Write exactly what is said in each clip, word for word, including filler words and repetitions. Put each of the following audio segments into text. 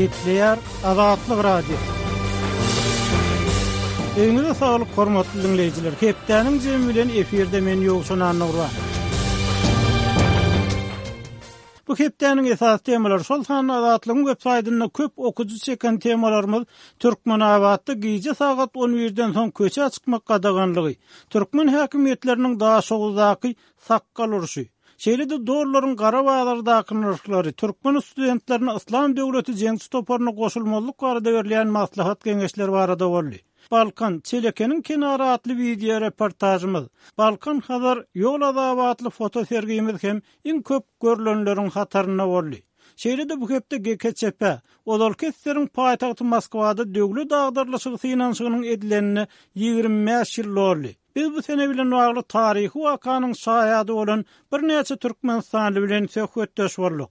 Gepleýär Azatlyk Radiosy. Öňüňize saglyk hormatly dinleýjiler. Hepdäniň jemi bilen efirde men Ýowşan Annurwan. Bu hepdäniň esasy temalary şol sanda Azatlygyň web saýtynda köp okujy çeken temalarymyz Türkmenabatda gije sagat on birden soň köçä çykmak gadaganlygy, türkmen häkimiýetleriniň Daşoguzdaky sakgal urşy, şeýle-de dollaryň gara bazardaky nyrhlary, türkmen studentlerine Yslam döwleti jeňçi toparyna goşulmazlyk barada berilýän maslahat geňeşleri barada boldy. Balkan Çelekeniň kenary atly video reportajymyz, Balkan Hazar ýol azaby atly foto sergimiz hem iň köp görülenleriň hatarynda boldy. Şeýle-de bu hepde G K Ç P, ozalky eseriň paýtagty Moskwada döwlet agdarlyşygy synanyşygynyň edilenine ýigrimi bäş ýyl boldy. Biz bu sene bilen bagly taryhy wakanyň şaýady bolan birnäçe Türkmenistanly bilen söhbetdeş bolduk.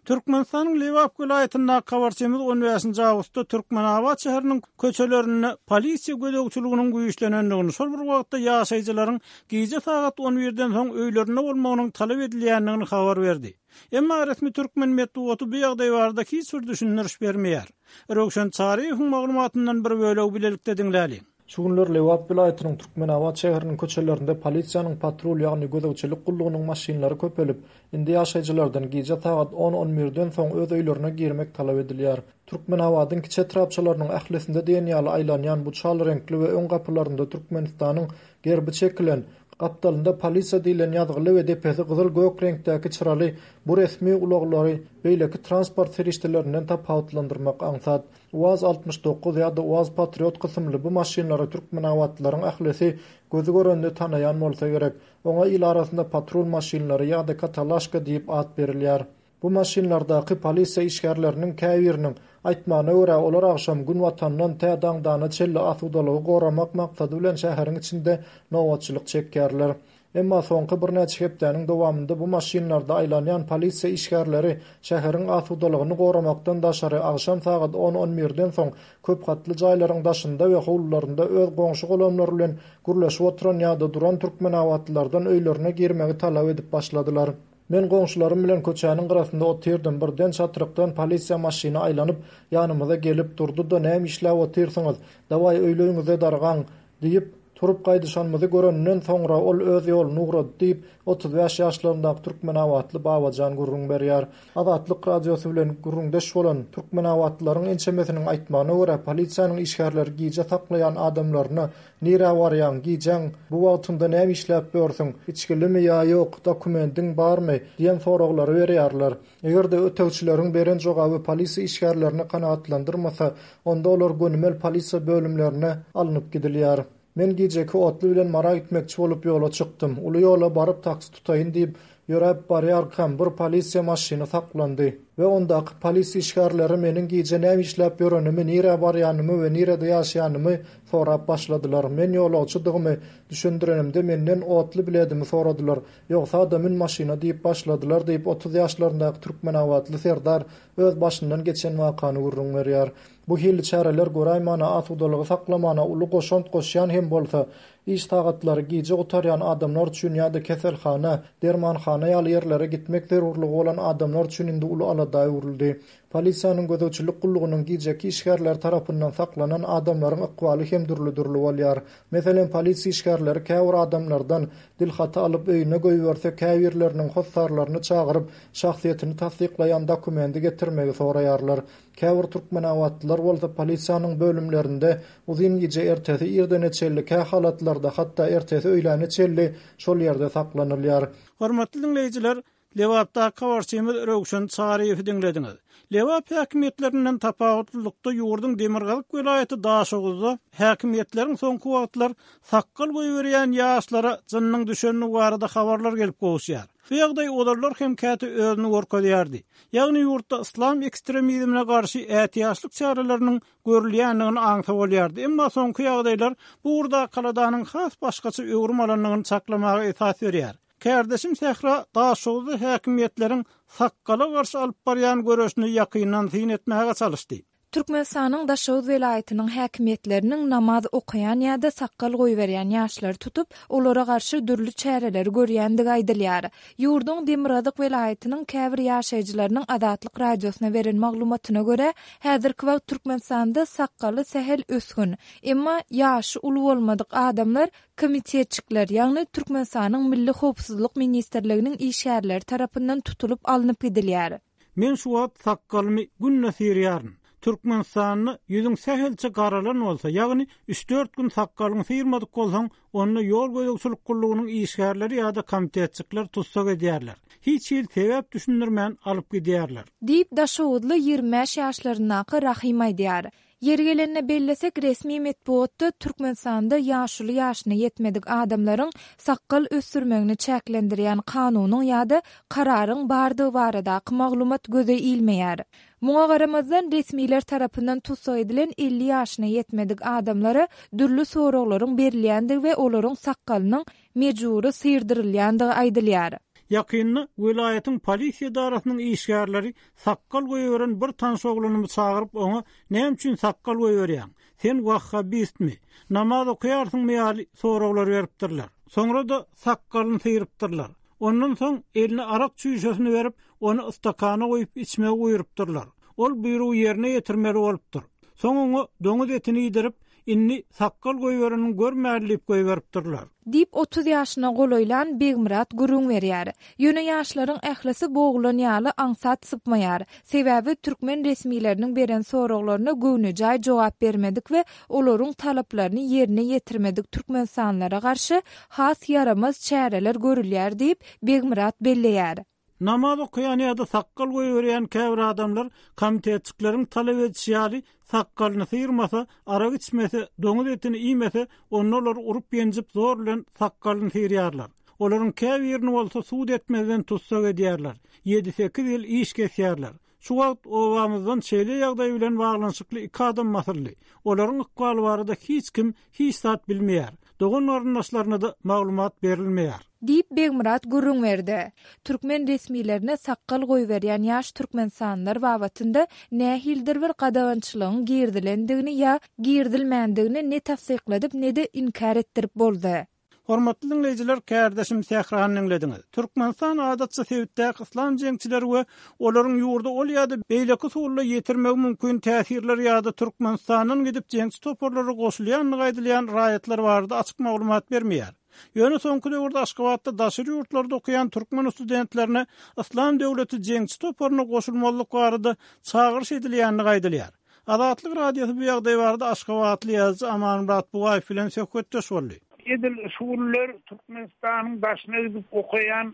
Türkmenistanyň Lebap welaýatyndaky habarçymyz on bäşinji awgustda Türkmenabat şäheriniň köçelerinde polisiýa gözegçiliginiň güýçlenendigini, şol bir wagtda ýaşaýjylaryň gije sagat on birden soň öýlerinde bolmagynyň talap edilýändigini habar berdi. Emma resmi türkmen metbugaty bu ýagdaý barada hiç bir düşündiriş bermeýär. Röwşen Çaryýewiň maglumatyndan bir bölegi bilelikde diňläliň. Şu günler Lebap welaýatynyň Türkmenabat şäheriniň köçelerinde polisiýanyň patrul, ýagny gözegçilik gullugynyň maşynlary köpelip, indi ýaşaýjylardan gije sagat on on birden soň öz öýlerine girmek talap edilýär. Türkmenabadyň kiçi etrapçalarynyň ählisinde diýen ýaly aýlanýan bu çal reňkli we öň gapylarynda Türkmenistanyň gerbi çekilen, gapdalynda polisiýa diýlen ýazgyly we depesi gyzyl gök reňkdäki çyraly bu resmi ulaglary beýleki transport serişdelerinden tapawutlandyrmak aňsat. UAZ altmyş dokuz ýa-da UAZ Patriot kysymly bu maşynlary Türkmenabatlylaryň ählisi gözü görende tanaýan bolsa gerek. Oňa il arasynda patrul maşynlary ýa-da katalaşka diýip at berilýär. Bu maşynlardaky polisiýa işgärleriniň käbiriniň aýtmagyna görä olar agşam gün watandan tä daňdana çenli asudalygy goramak maksady bilen şäheriň içinde nobatçylyk çekýärler. Emma soňky birnäçe hepdäniň dowamynda bu maşynlarda aýlanýan polisiýa işgärleri şäheriň asudalygyny goramakdan daşary agşam sagat on on birden soň köp gatly jaýlaryň daşynda we howlularynda öz goňşy golamlary bilen gürleşip oturan ýa-da duran türkmenabatlylardan öýlerine girmegi talap edip başladylar. Men goňşularym bilen köçäniň gyrasynda otyrdym. Birden çatrykdan polisiýa maşyny aýlanyp ýanymyza gelip durdy-da näme işläp otyrsyňyz? Dawaý öýleriňize dargaň diýip turup gaýdyşanymyzy görenden soňra ol öz ýoluny ugrady diýip otuz bäş ýaşlaryndaky Türkmenabatly Babajan gürrüň berýär. Azatlyk radiosy bilen gürrüňdeş bolan Türkmenabatlylaryň ençemesiniň aýtmagyna görä polisiýanyň işgärleri gije saklaýan adamlaryna nirä barýaň, gijäň bu wagtynda näme işläp ýörsüň, içgilimi ýa ýok, dokumendiň barmy diýen soraglary berýärler. Eger-de ötegçileriň beren jogaby polisiýa işgärlerini kanagatlandyrmasa, onda olar gönümel polisiýa bölümlerine alnyp gidilýär. Men gijeki otly bilen Mara gitmekçi bolup ýola çykdym. Uly ýola baryp taksi tutaýyn diýip ýöräp barýarkam bir polisiýa maşyny saklandy we ondaky polisiýa işgärleri meniň gije näme işläp ýörenimi, nirä barýanymy we nirede ýaşaýanymy sorap başladylar. Men ýolagçydygymy düşündirenimde menden otly biletimi soradylar. Ýogsa-da mün maşyna diýip başladylar diýip otuz ýaşlaryndaky Türkmenabatly Serdar öz başyndan geçen wakany gürrüň berýär. Bu hili çäreler göräýmäne asudalygy saklamana uly goşant goşýan hem bolsa, iş sagatlary gije gutarýan adamlar üçin ýa-da keselhana, dermanhana ýaly ýerlere gitmek zerurlygy bolan adamlar üçin indi uly alada öwrüldi. Polisiýanyň gözegçilik gullugynyň gijeki işgärleri tarapyndan saklanan adamlaryň ykbaly hem dürli-dürli bolýar. Meselem, polisiýa işgärleri käbir adamlardan dilhaty alyp öýüne goýberse, käbirleriniň hossarlaryny çagyryp, şahsyýetini tassyklaýan dokumendi getirmegi soraýarlar. Käbir türkmenabatlylar bolsa polisiýanyň bölümlerinde uzyn gije ertesi irdene çenli, kä halatlarda hatda ertesi öýläne çenli şol ýerde saklanylýar. Hormatly dinleýjiler, Lebapdaky habarçymyz Röwşen Çaryýewi diňlediňiz. Lebap häkimiýetlerinden tapawutlylykda ýurduň Demirgazyk welaýaty Daşoguzda häkimiýetleriň soňky wagtlar sakgal goýberýän ýaşlara jynyň düşenligi barada habarlar gelip gowuşýar. Bu ýagdaý ozallar hem käte özüni görkezýärdi. Ýagny ýurtda yslam ekstremizmine garşy ätiýaçlyk çäreleriniň görülýändigini aňsa bolýardy. Emma soňky ýagdaýlar bu ugurda kaladanyň has başgaça öwrüm alandygyny çaklamaga esas berýär. Kärdeşim Sähra Daşoguzda häkimiýetleriň sakgala garşy alyp barýan göreşini ýakyndan syn etmäge çalyşdy. Türkmenistanyň Daşoguz welaýatynyň häkimiýetleriniň namaz okaýan ýa-da sakgal goýberýän ýaşlary tutup, olara garşy dürli çäreleri görýändigi aýdylýar. Ýurduň Demirgazyk welaýatynyň käbir ýaşaýjylarynyň Azatlyk Radiosyna beren maglumatyna görä, häzirki wagt Türkmenistanda sakgaly sähel ösgün, emma ýaşy uly bolmadyk adamlar komitetçikler, ýagny Türkmenistanyň Milli howpsuzlyk ministrliginiň işgärleri tarapyndan tutulyp alnyp gidilýär. Men şu wagt sakgalymy günde syrýaryn. Türkmenistanda ýüzüň sähelçe garalan bolsa, ýagny üç-dört gün sakgalyňy syrmadyk bolsaň, onda ýol gözegçilik gullugynyň işgärleri ýa-da komitetçikler tussag edýärler. Hiç hili sebäp düşündirmän alyp gidýärler. Diýip, Daşoguzly ýigrimi bäş ýaşlaryndaky Rahym aýdýar. Ýeri gelende bellesek, resmi metbugatda Türkmenistanda ýaşuly ýaşyna ýetmedik adamlaryň sakgal ösdürmegini çäklendirýän kanunyň ýa-da kararyň bardygy baradaky maglumat göze ilmeýär. Muňa garamazdan, resmiler tarapyndan tussag edilen elli ýaşyna ýetmedik adamlara dürli soraglaryň berilýändigi we olaryň sakgalynyň mejbury syrdyrylýandygy aýdylýar. Ýakynda welaýatyň polisiýa edarasynyň işgärleri sakgal goýberen bir tanyş ogluny çagyryp oňa näme üçin sakgal goýberýäň? Sen wahhabistmi? Namaz okaýarsyňmy ýaly soraglar beripdirler. Soňra da sakgalyny syrypdyrlar. Ondan soň eline arak çüýşesini berip, ony istakana goýup içmegi buýrupdyrlar. Ol buýrugy ýerine ýetirmeli bolupdyr. Soň oňa doňuz etini iýdirip, indi sakgal goýberenini görmäli diýip goýberipdirler. Diýip otuz ýaşyna golaýlan Begmyrat gürrüň berýär. Ýöne ýaşlaryň ählisi boglan ýaly aňsat sypmaýar. Sebäbi türkmen resmileriniň beren soraglaryna göwnejaý jogap bermedik we olaryň talaplaryny ýerine ýetirmedik türkmenistanlylara garşy has ýaramaz çäreler görülýär diýip Begmyrat belleýär. Namaz okaýan ýa-da sakgal goýberýän käbir adamlar komitetçikleriň talap edişi ýaly sakgalyny syrmasa, arak içmese, doňuz etini iýmese, onda olar urup ýenjip zor bilen sakgalyny syrýarlar. Olaryň käbirini bolsa sud etmezden tussag edýärler. Ýedi-sekiz ýyl iş kesýärler. Şu wagt obamyzdan şeýle ýagdaý bilen baglanyşykly iki adam basyldy. Olaryň ykbaly barada hiç kim hiç zat bilmeýär. Dogan garyndaşlaryna da maglumat berilmeýär. Diýip Begmyrat gürrüň berdi. Türkmen resmilerine sakgal goýberýän ýaş türkmenistanlylar babatynda nähilidir bir gadagançylygyň girdilendigini ýa girdilmändigini ne tassykladyp ne-de inkär etdirip boldy. Hormatly dinleýjiler, kärdeşim Sährany diňlediňiz. Türkmenistan adatça sebitdäki yslam jeňçileri we olaryň ýurda ol ýa-da beýleki usulda ýetirmegi mümkin täsirler ýa-da Türkmenistandan gidip jeňçi toparlara goşulýandygy aýdylýan raýatlar barada açyk maglumat bermeýär. Ýöne soňky döwürde Aşgabatda daşary ýurtlarda okaýan türkmen studentlerine Yslam döwleti jeňçi toparyna goşulmazlyk barada çagyryş edilýändigi aýdylýar. Azatlyk Radiosy bu ýagdaý barada Aşgabatly ýazyjy Amanmyrat Bugaýew bilen söhbetdeş boldy. Edil şuguller Türkmenistanyň daşyna gidip okaýan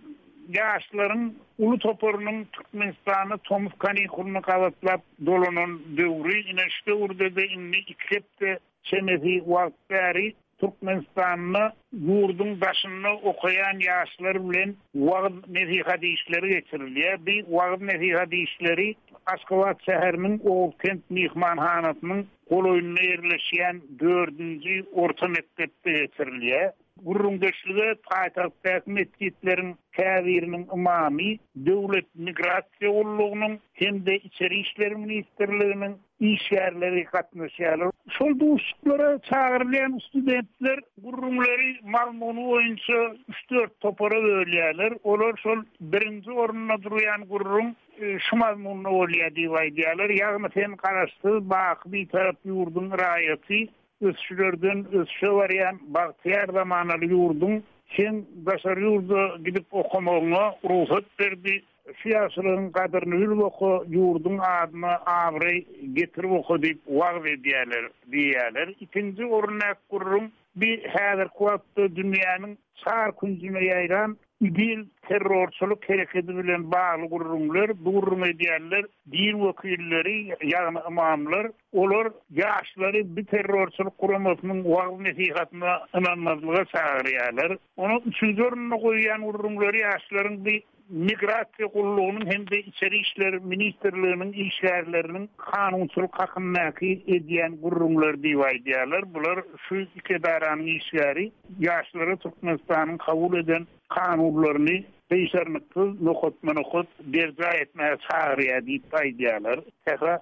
ýaşlaryň uly toparynyň Türkmenistana tomus kanikulyny gabatlap dolanan döwri, ine şu döwürde-de indi iki hepde çemesi wagt bäri Türkmenistanda ýurduň daşynda okaýan ýaşlar bilen wagyz nesihat işleri geçirilýär. Bir wagyz nesihat işleri Aşgabat şäheriniň Oguzkent mehmanhanasynyň golaýynda ýerleşýän dördünji orta mekdepde geçirilýär. Gürrüňdeşlige paýtagtdaky metjitleriň käbiriniň imamy, Döwlet migrasiýa gullugynyň hem-de Içeri işler ministrliginiň işgärleri gatnaşýarlar. Şol duşuşyklara çagyrylýan studentler gürrüňleri mazmuny boýunça üç-dört topara bölýärler. Olar şol birinji orunda durýan gürrüň, e, şu mazmunda bolýar diýip aýdýarlar. Ýagny sen garaşsyz baky bitarap ýurduň raýaty, ösüşlerden ösüşe barýan bagtyýar zamanaly ýurduň sen daşary ýurda gidip okamagyňa rugsat berdi. Şu ýaşlaryň gadyryny bilip oka, ýurduň adyna abraý getirip oka diýip wagyz edýärler diýýärler. Ikinji orunda gürrüň bir häzirki wagtda dünýäniň çar künjüne ýaýran İGİL terrorçylyk hereketi bilen bagly gürrüňler, bu gürrüň edýärler din wekilleri, ýagny imamlar, olar ýaşlary bir terrorçylyk guramasynyň wagyz nesihatyna ynanmazlyga çagyrýarlar. Onuň üçünji orunda goýýan gürrüňleri ýaşlaryň bir migrasiýa gullugynyň hem-de Içeri işler ministrliginiň işgärleriniň kanunçylyk hakyndaky edýän gürrüňler diýip aýdýarlar. Bular şu iki edaranyň işgäri ýaşlara Türkmenistanyň kabul eden kanunlaryny Gyşarnyksyz nokatma-nokat berjaý etmäge çagyrýar diýip aýdýarlar. Sähra.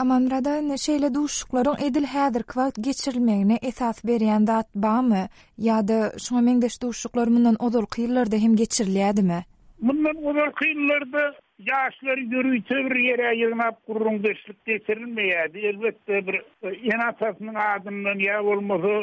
Amanmyrat aga, indi şeýle duşuşyklaryň edil häzirki wagt geçirilmegine esas berýän zat barmy? Ýa-da şuňa meňzeş duşuşyklar mundan ozalky ýyllarda hem geçirilýärdimi? Mundan ozalky ýyllarda ýaşlary ýörite bir ýere ýygnap gürrüňdeşlik geçirilmeýärdi. Elbetde bir ene-atasynyň adyndan ýa bolmasa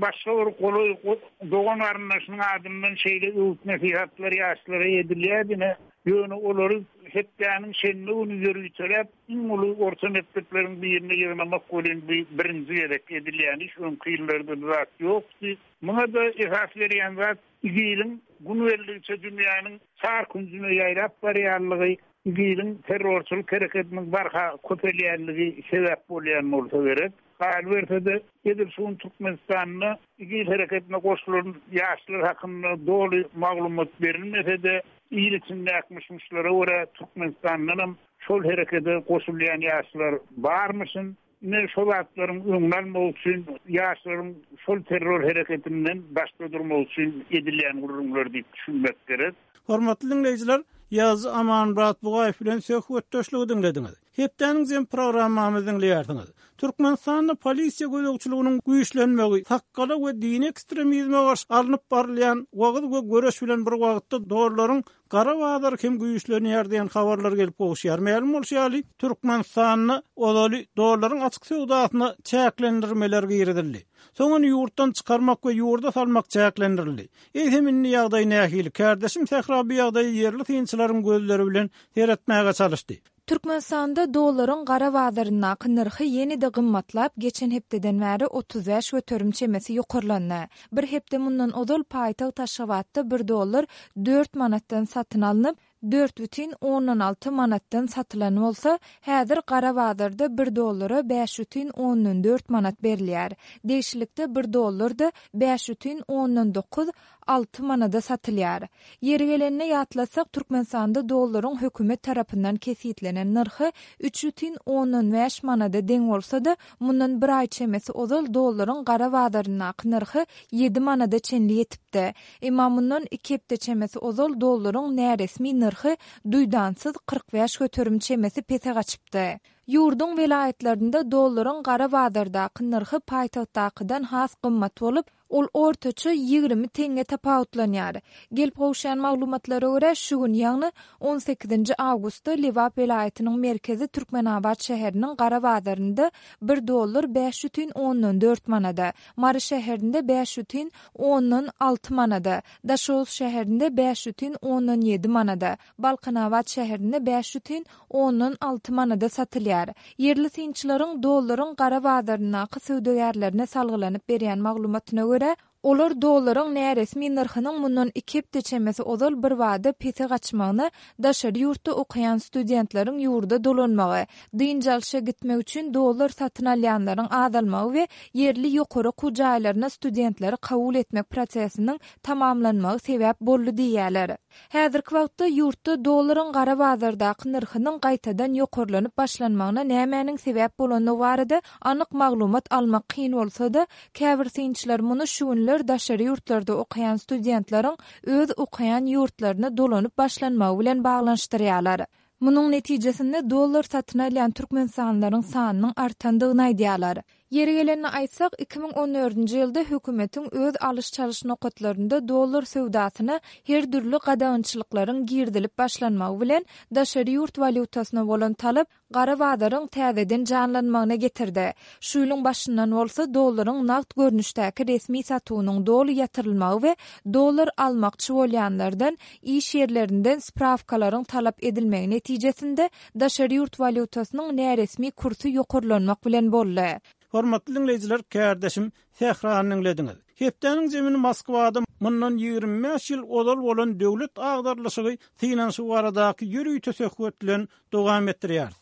başga bir golaý dogan garyndaşynyň adyndan şeýle öwüt-nesihatlar ýaşlara edilýärdi. Ýöne olary hepdäniň şenbe güni ýöriteläp iň uly orta mekdepleriň birine ýygnamak welin bu birinji gezek edilýän iş. Öňki ýyllarda bu zat ýokdy. Muňa-da esas berýän zat IGIL-iň gün geldikçe dünýäniň çar künjüne ýaýrap barýanlygy, IGIL-iň terrorçylyk hereketiniň barha köpelýänligi sebäp bolýan bolsa gerek. Galyberse-de, edil şu gün Türkmenistanda IGIL hereketine goşulan ýaşlar hakynda doly maglumat berilmese-de, il içindäki myş-myşlara görä Türkmenistandanam şol herekete goşulýan ýaşlar barmyşyn. Ine şol zatlaryň öňüni almak üçin, ýaşlaryň şol terror hereketinden daşda durmak üçin edilýän gürrüňler diýip düşünmek gerek. Hormatly diňleýjiler, Ýazyjy Amanmyrat Bugaýew bilen söhbetdeşligi diňlediňiz. Hepdäniň jem programmamyzy diňleýärsiňiz. Türkmenistanda polisiýa gözegçiliginiň güýçlenmegi, sakgala we dini ekstremizme garşy alnyp barylýan wagyz we göreş bilen bir wagtda dollaryň gara bazary hem güýçlenýär diýen habarlar gelip gowuşýar. Mälim bolşy ýaly, Türkmenistanda ozaly dollaryň açyk söwdasyna çäklendirmeler girizildi. Soň ony ýurtdan çykarmak we ýurda salmak çäklendirildi. Eýsem indi ýagdaý nähili? Kardeşim Sähra bu ýagdaýy ýerli synçylaryň gözleri bilen seyretmäge çalyşdy. Türkmenistanda dollaryň gara bazaryndaky nyrhy ýene-de gymmatlap, geçen hepdeden bäri otuz bäş göterim çemesi ýokarlandy. Bir hepde mundan ozal paýtagt Aşgabatda bir dollar dört manatdan satyn alnyp, dört bütin ondan alty manatdan satylan bolsa, häzir gara bazarda bir dollara bäş bütin ondan dört manat berilýär. Degişlilikde bir dollar da bäş bütin ondan dokuz alty manada satylýar. Ýeri gelenine ýatlatsak, Türkmenistanda dollaryň hökümet tarapyndan kesitlenen nyrhy üç bütin ondan bäş manada deň bolsa-da, mundan bir aý çemesi ozal dollaryň gara bazaryndaky nyrhy ýedi manada çenli ýetipdi. Emma mundan iki hepde çemesi ozal dollaryň näresmi nyrhy duýdansyz kyrk bäş göterim çemesi pese gaçypdy. Ýurduň welaýatlarynda dollaryň gara bazardaky nyrhy paýtagtdakydan has gymmat bolup, ol ortaça ýigrimi teňňe tapawutlanýar. Gelip gowuşýan maglumatlara görä, şu gün, ýagny on sekizinji awgustda Lebap welaýatynyň merkezi Türkmenabat şäheriniň gara bazarynda bir dollar bäş bütin ondan dört manada, Mary şäherinde bäş bütin ondan alty manada, Daşoguz şäherinde bäş bütin ondan ýedi manada, Balkanabat şäherinde bäş bütin ondan alty manada satylýar. Ýerli synçylaryň dollaryň gara bazaryndaky söwdagärlerine salgylanyp berýän maglumatyna görä, olar dollaryň näresmi nyrhynyň mundan iki hepde çemesi ozal bir bada pese gaçmagyna, daşary ýurtda okaýan studentleriň ýurda dolanmagy, dynç alşa gitmek üçin dollar satyn alýanlaryň azalmagy we ýerli ýokary okuw jaýlaryna studentleri kabul etmek prosesiniň tamamlanmagy sebäp boldy diýýärler. Häzirki wagtda ýurtda dollaryň gara bazardaky nyrhynyň gaýtadan ýokarlanyp başlanmagyna nämäniň sebäp bolandygy barada anyk maglumat almak kyn bolsa-da, käbir synçylar muny şu günler daşary ýurtlarda okaýan studentleriň öz okaýan ýurtlaryna dolanyp başlanmagy bilen baglanyşdyrýarlar. Munuň netijesinde dollar satyn alýan türkmenistanlylaryň sanynyň artandygyny aýdýarlar. Ýeri gelenini aýtsak, iki müň on dördünji ýylda hökümetiň öz alyş-çalyş nokatlarynda dollar söwdasyna her dürli gadagançylyklaryň girizilip başlanmagy bilen daşary ýurt walýutasyna bolan talap gara bazaryň täzeden janlanmagyna getirdi. Şu ýylyň başyndan bolsa dollaryň nagt görnüşdäki resmi satuwynyň doly ýatyrylmagy we dollar almakçy bolýanlardan iş ýerlerinden spravkalaryň talap edilmegi netijesinde daşary ýurt walýutasynyň näresmi kursy ýokarlanmak bilen boldy. Hormatly diňleýjiler, kardeşim Sährany diňlediňiz. Hepdäniň zemini Moskwada mundan ýigrimi bäş ýyl ozal bolan döwlet agdarlyşygy synanyşygy baradaky ýörite söhbet bilen dowam etdirýär.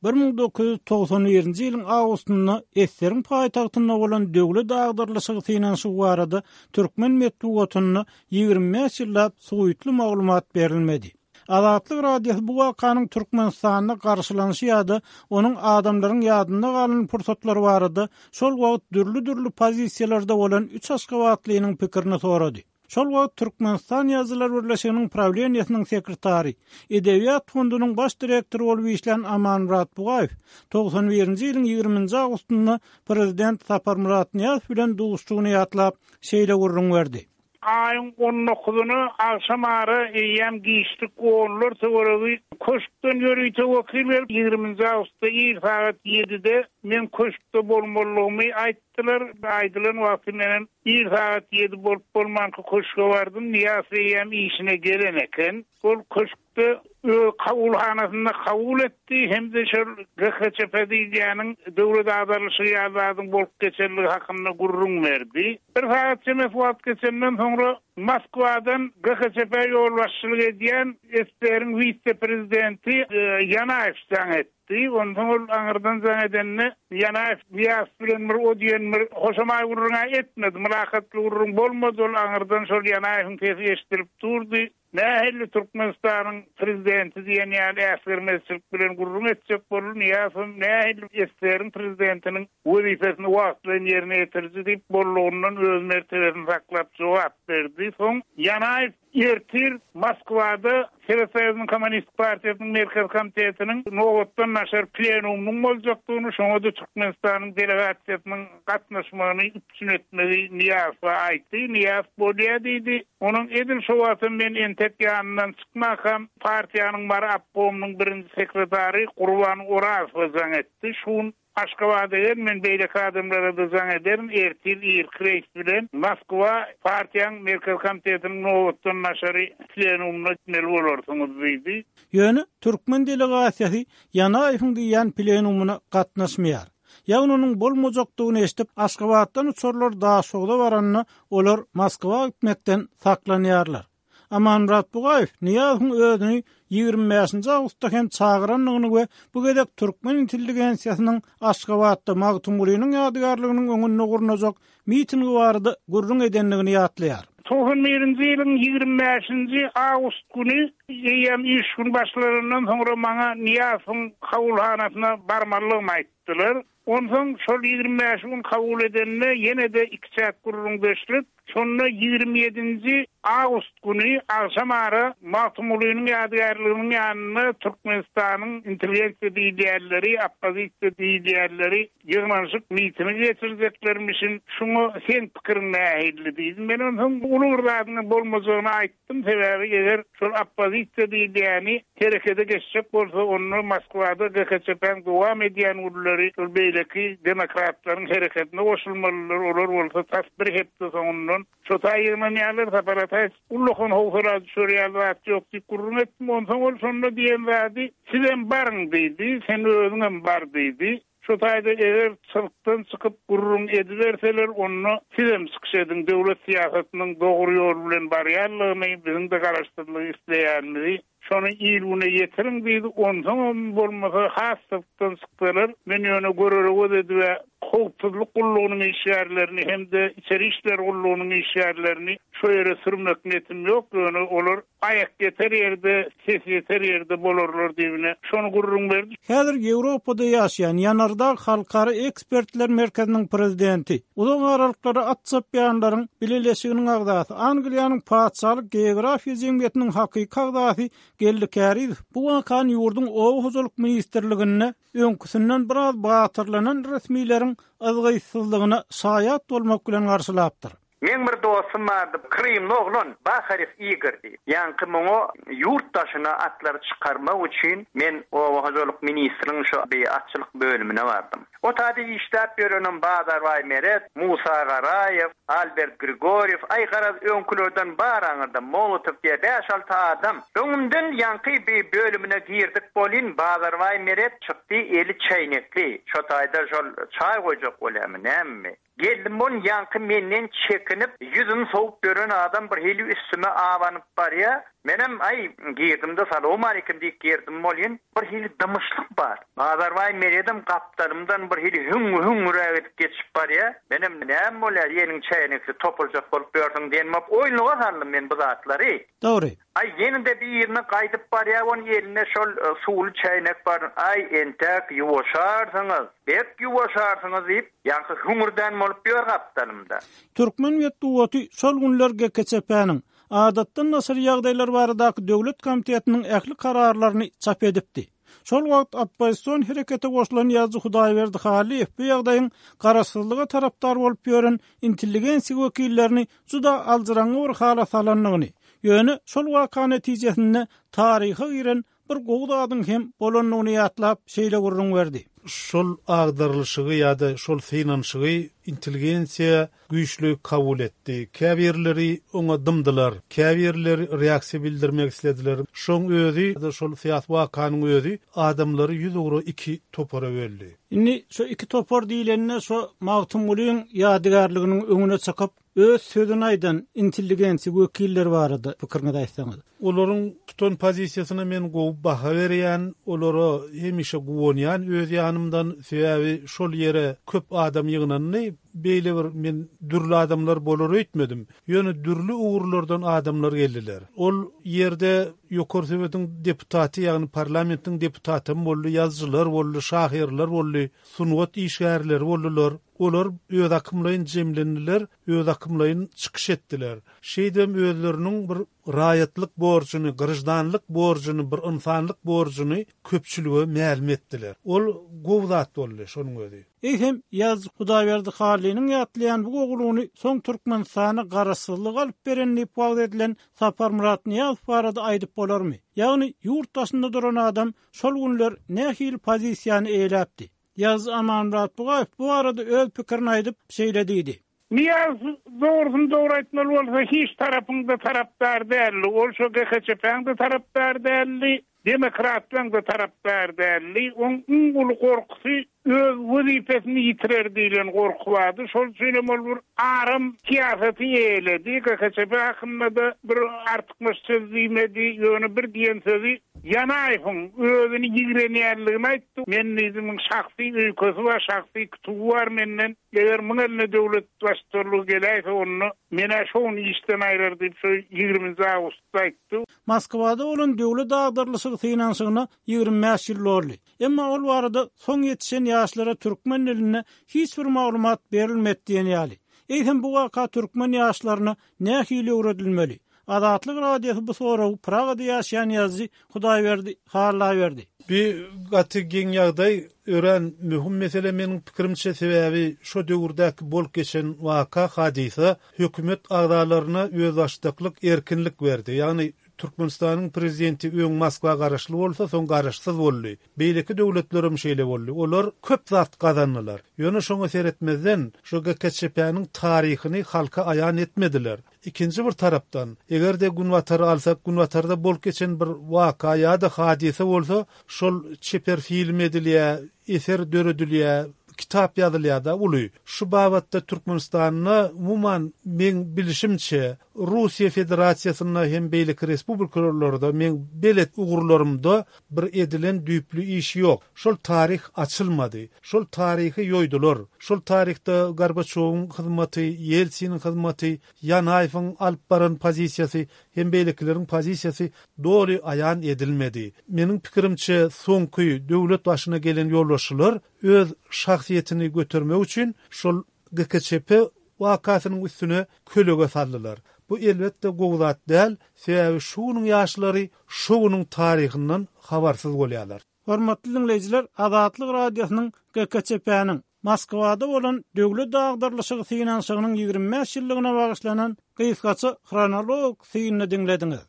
Bir müň dokuz ýüz togsan birinji ýylyň awgustynda Esseriň paýtagtynda bolan döwlet agdarlyşygy synanyşygy barada türkmen metbugatynda ýigrimi bäş ýyllap suwutly maglumat berilmedi. Azatlyk Radiosy bu wakanyň Türkmenistanda garşylanyşy ýa-da onuň adamlaryň ýadynda galan pursatlary barada şol wagt dürli-dürli pozisiýalarda bolan üç aşgabatlynyň pikirini sorady. Şol wagt Türkmenistan Ýazyjylar birleşiginiň prawleniýesiniň sekretary, Edebiýat fondunyň baş direktory bolup işlän Amanmyrat Bugaýew togsan birinji ýylyň ýigriminji awgustynda prezident Saparmyrat Nyýazow bilen duşuşygyny ýatlap, şeýle gürrüň berdi. Aýyň on dokuzyna agşam ara eýýäm giçlik onlar töweregi köşkden ýörite wekil gelip ýigriminji awgustda ir sagat ýedide men köşkde bolmalygymy aýtdylar. Aýdylan wagty menen ir sagat ýedi bolup bolmanky köşke bardym. Nyýazow eýýäm işine gelen eken. Ol köşkde öz kabulhanasynda kabul etdi hem de şol G H Ç P diýýäniň döwlet agdarlyşy ýaly bolup geçenligi hakynda gürrüň berdi. Bir sagat çemesi wagt geçenden soňra Moskwadan G H Ç P ýolbaşçylyk edýän S S R-iň wise-prezidenti, e, Ýanaýew jaň etdi. Ondan ol aňyrdan jaň edende Ýanaýew Nyýazow bilen bir o diýen bir hoşamaý gürrüň etmedi. Mülakatly gürrüň bolmady. Ol aňyrdan şol Ýanaýewiň sesi eşidilip durdy. Nähili Türkmenistanyň prezidenti diýen ýaly äsgermezçilik bilen gürrüň etjek boldy. Nyýazow nähili S S R-iň prezidentiniň wezipesini wagtlaýyn ýerine ýetiriji diýip bollugyndan öz mertebesini saklap jogap berdi. Soň Ýanaýew ertir Moskwada Sowet Soýuzynyň Kommunist Partiýasynyň Merkez Komitetiniň nobatdan daşary plenumynyň boljakdygyny, şoňa-da Türkmenistanyň delegasiýasynyň gatnaşmagyny üpjün etmegi Nyýazowa aýtdy. Nyýazow bolýar diýdi. Onuň edil şo wagtda men entek ýanyndan çykmakam partiýanyň Mary obkomynyň birinji sekretary Gurban Orazowa jaň etdi. Şun Aşgabada gel, men beýleki adamlara da jaň ederin, ertir irki reýs bilen Moskwa partiýanyň Merkez Komitetiniň nobatdan daşary plenumyna gitmeli bolarsyňyz diýdi. Ýöne türkmen delegasiýasy Ýanaýewiň diýen plenumyna gatnaşmaýar. Ýagny onuň bolmajakdygyny eşidip, Aşgabatdan uçarlar Daşogza baranda olar Moskwa gitmekden saklanýarlar. Amanmyrat Bugaýew Nyýazowyň özüni ýigrimi bäşinji awgustda hem çagyrandygyny we bu gezek türkmen intelligensiýasynyň Aşgabatda Magtymgulynyň ýadygärliginiň öňünde gurnajak mitingi barada gürrüň edendigini ýatlaýar. Togsan birinji ýylyň ýigrimi bäşinji awgust güni eýýäm iş gün başlaryndan soňra maňa Nyýazowyň kabulhanasyna barmalygymy aýtdylar. Onsoň şol ýigrimi bäş gün kabul edende ýene-de iki çäk gürrüň beşlik. Şonda ýigrimi ýedinji awgust güni agşam ara Magtymgulynyň ýadygärliginiň ýanynda Türkmenistanyň intelligensiýa diýilýänleri, oppozisiýa diýilýänleri ýygnanyşyk mitingi geçirjeklermişin. Şuňa sen pikiriň nähili diýdim. Men onsoň uly bir zadyň bolmajagyny aýtdym. Sebäbi eger şol oppozisiýa diýilýäni herekete geçjek bolsa, onda Moskwada G H Ç P-niň dowam edýän günleri şol beýleki demokratlaryň hereketine goşulmalylar. Olar bolsa tas bir hepde soňundan şo taý ýygnanýarlar, Sapar Ataýew ullakan howsala düşürýär zat ýok diýip gürrüň etdim. Onsoň ol şonda diýen zady, sizem baryň diýdi, sen özüňem bar diýdi. Şo taýda eger çyrkdan çykyp gürrüň ediberseler, onda sizem çykyş ediň, döwlet syýasatynyň dogry ýol bilen barýanlygyny, biziň de garaşsyzlygy isleýänimizi şony il güne ýetiriň diýdi. Onsoň bolmasa has çyrkdan çyksalar, men ýöne görere göz edip howpsuzlyk gullugynyň işgärlerini hem de içeri işler gullugynyň işgärlerini şo ýere sürmek niýetim ýok. Ýöne olar aýak ýeter ýerde, ses ýeter ýerde bolarlar diýibine şony gürrüň berdi. Häzir Ýewropada ýaşaýan Ýanardag Halkara Ekspertler Merkeziniň prezidenti, uzak aralyklara at çapýanlaryň bileleşiginiň agzasy, Angliýanyň Patyşalyk Geografiýa jemgyýetiniň hakyky agzasy Geldi Kärizow bu wakany ýurduň Oba hojalyk ministrliginde öňküsinden biraz batyrlanan resmileriň yzgytsyzlygyna şaýat bolmak bilen garşylapdyr. Men bir dostum bardy, Krymly oglan, Baharew Igor diýip. Ýaňky muňa ýurt daşyna atlary çykarmak üçin men Oba hojalyk ministriniň şu bir atçylyk bölümine bardym. O taýda işläp ýörenim Bazarbaý Meret, Musa Garaýew, Albert Grigoriew, aý garaz öňkülerden bar aňyrda Molotow diýe bäş-alty adam. Öňümden ýaňky bir bölümine girdik bolin, Bazarbaý Meret çykdy, eli çeýnekli. Şo taýda şol çaý goýjak bolýarmy, näme? Geldim on ýaňky menden çekinip, ýüzüm sowup ýören adam bir hili üstüme awanyp barýa. Menem aý girdim-de salowmaleýkim diýip girdim bolýan, bir hili dymyşlyk bar. Bazarbaý Meredem gapdalymdan bir hili hüň-hüňräk edip geçip barýar. Menem näme bolýar, ýeniň çäýnekli topuljak bolup ýörsüň diýen bolup oýunlyga saldym men bu zatlary. Dogry. Aý ýene-de birine gaýdyp barýar, onuň elinde şol suwly çäýnek bar. Aý entäk ýuwaşarsyňyz, bek ýuwaşarsyňyz diýip, ýaňky hüňürdän bolup ýör gapdalymda. Türkmen metbugaty şol günler G K Ç P-niň Adatdan daşary ýagdaýlar baradaky döwlet komitetiniň ähli kararlaryny çap edipdi. Şol wagt oppozision herekete goşulan ýazyjy Hudaýberdi Hallyýew bu ýagdaýyň garaşsyzlyga tarapdar bolup ýören intelligensiýa wekillerini juda aljyraňňy bir hala salandygyny, ýöne şol waka netijesinde taryha giren bir gowy zadyň hem bolandygyny ýatlap şeýle gürrüň berdi. Şol agdarylyşygy ýa-da şol synanyşygy intelligensiýa güýçli kabul etdi. Käbirleri oňa dymdylar, käbirleri reaksiýa bildirmek islediler. Şoň özi, şol syýasy wakanyň özi adamlary ýüz ugra iki topara böldi. Indi şu iki topar diýilende şu Magtymgulyň ýadygärliginiň öňüne çykyp öz sözüni aýdan intelligensiýa wekilleri barada pikiriňizi aýtsaňyz. Olaryň tutan pozisiýasyna men gowy baha berýän, olara hemişe guwanýan öz ýanymdan, sebäbi şol ýere köp adam ýygnandy. Beýle bir men dürli adamlar bolar öýtmedim. Ýöne dürli ugurlardan adamlar geldiler. Ol ýerde Ýokary Sowetiň deputaty, ýagny parlamentiň deputaty boldy, ýazyjylar boldy, şahyrlar boldy, sungat işgärleri boldular. Olar öz akymlaýyn jemlendiler, öz akymlaýyn çykyş etdiler. Şeýdem özleriniň bir raýatlyk borjuny, grajdanlyk borjuny, bir insanlyk borjuny köpçülige mälim etdiler. Ol gowy zat boldy şonuň özi. Eýsem ýazyjy Hudaýberdi Hallynyň ýatlaýan bu gowulygyny soň Türkmenistana garaşsyzlyk alyp beren diýip wagt edilen Saparmyrat Nyýazow barada aýdyp bolarmy? Ýagny ýurt daşynda duran adam şol günler nähili pozisiýany eýeläpdi? Ýazyjy Amanmyrat Bugaýew bu barada öz pikirini aýdyp şeýle diýdi. Niýaz dogrusyny dogry aýtmaly bolsa hiç tarapyňda tarapdar däldi. Ol şo G K Ç P-niň tarapdar däldi, demokratlaryň da tarapdar däldi. Oň iň uly gorkusy öz wezipesini ýitirer diýlen gorky bardy. Şol üçin hem ol bir aram syýasaty eýeledi. G K Ç P hakynda da bir artykmaç söz diýmedi. Ýöne bir diýen sözi Ýanaýewiň özüni ýigrenýänligini aýtdy. Men diýdim, şahsy öýkesi bar, şahsy kütügi bar menden. Eger muň eline döwlet baştutanlygy geläýse onda menä şoň işden aýrar diýip şo ýigriminji awgustda aýtdy. Moskwada bolan döwlet agdarylyşygy synanyşygyna ýigrimi bäş ýyl boldy. Emma ol barada soň ýetişen ýaşlara türkmen dilinde hiç bir maglumat berilmedi diýen ýaly. Eýsem bu waka türkmen ýaşlaryna nähili öwredilmeli? Azatlyk Radiosy bu soragy Pragada ýaşaýan ýazyjy Hudaýberdi Halla berdi. Bir gaty geň ýagdaý ören möhüm mesele meniň pikirimçe sebäbi şo döwürdäki bolup geçen waka hadysa hökümet agzalaryna özbaşdaklyk erkinlik berdi. Ýagny Türkmenistanyň prezidenti öň Moskwa garaşly bolsa, soň garaşsyz boldy. Beýleki döwletlerem şeýle boldy. Olar köp zat gazandylar. Ýöne şoňa seretmezden şu G K Ç P-niň taryhyny halka aýan etmediler. Ikinji bir tarapdan, eger de Günbatary alsak, Günbatarda bolup geçen bir waka ýa-da hadysa bolsa, şol çeper film edilýär, eser döredilýär, kitap ýazylýar da uly. Şu babatda Türkmenistanda umuman men bilişimçe Russiýa Federasiýasynda hem beýleki respublikalarda men belet ugurlarymda bir edilen düýpli iş ýok. Şol taryh açylmady. Şol taryhy ýoýdular. Şol taryhda Gorbaçowyň hyzmaty, Ýeltsiniň hyzmaty, Ýanaýewiň alyp baran pozisiýasy hem beýlekileriň pozisiýasy doly aýan edilmedi. Meniň pikirimçe soňky döwlet başyna gelen ýolbaşçylar öz şahsyýetini götermek üçin şol G K Ç P wakasynyň üstüne kölege saldylar. Bu elbetde gowy zat däl, sebäbi şu günüň ýaşlary şu günüň taryhyndan habarsyz bolýarlar. Hormatly dinleýjiler, Azatlyk Radiosynyň G K Ç P-niň Moskwada bolan döwlet agdarylyşygy synanyşygynyň ýigrimi bäş ýyllygyna bagyşlanan gysgaça hronologik synyny diňlediňiz.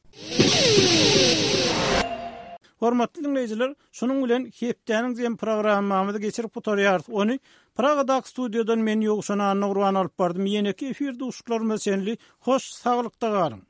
Hormatly dinleýjiler, şunuň bilen hepdäniň zem programmamyzy geçirip gutarýarys. Ony Pragadaky studiýadan men Ýowşan Anna Gurban alyp bardym. Ýeneki efir duşuşyklarymyza çenli hoş saglykda galyň.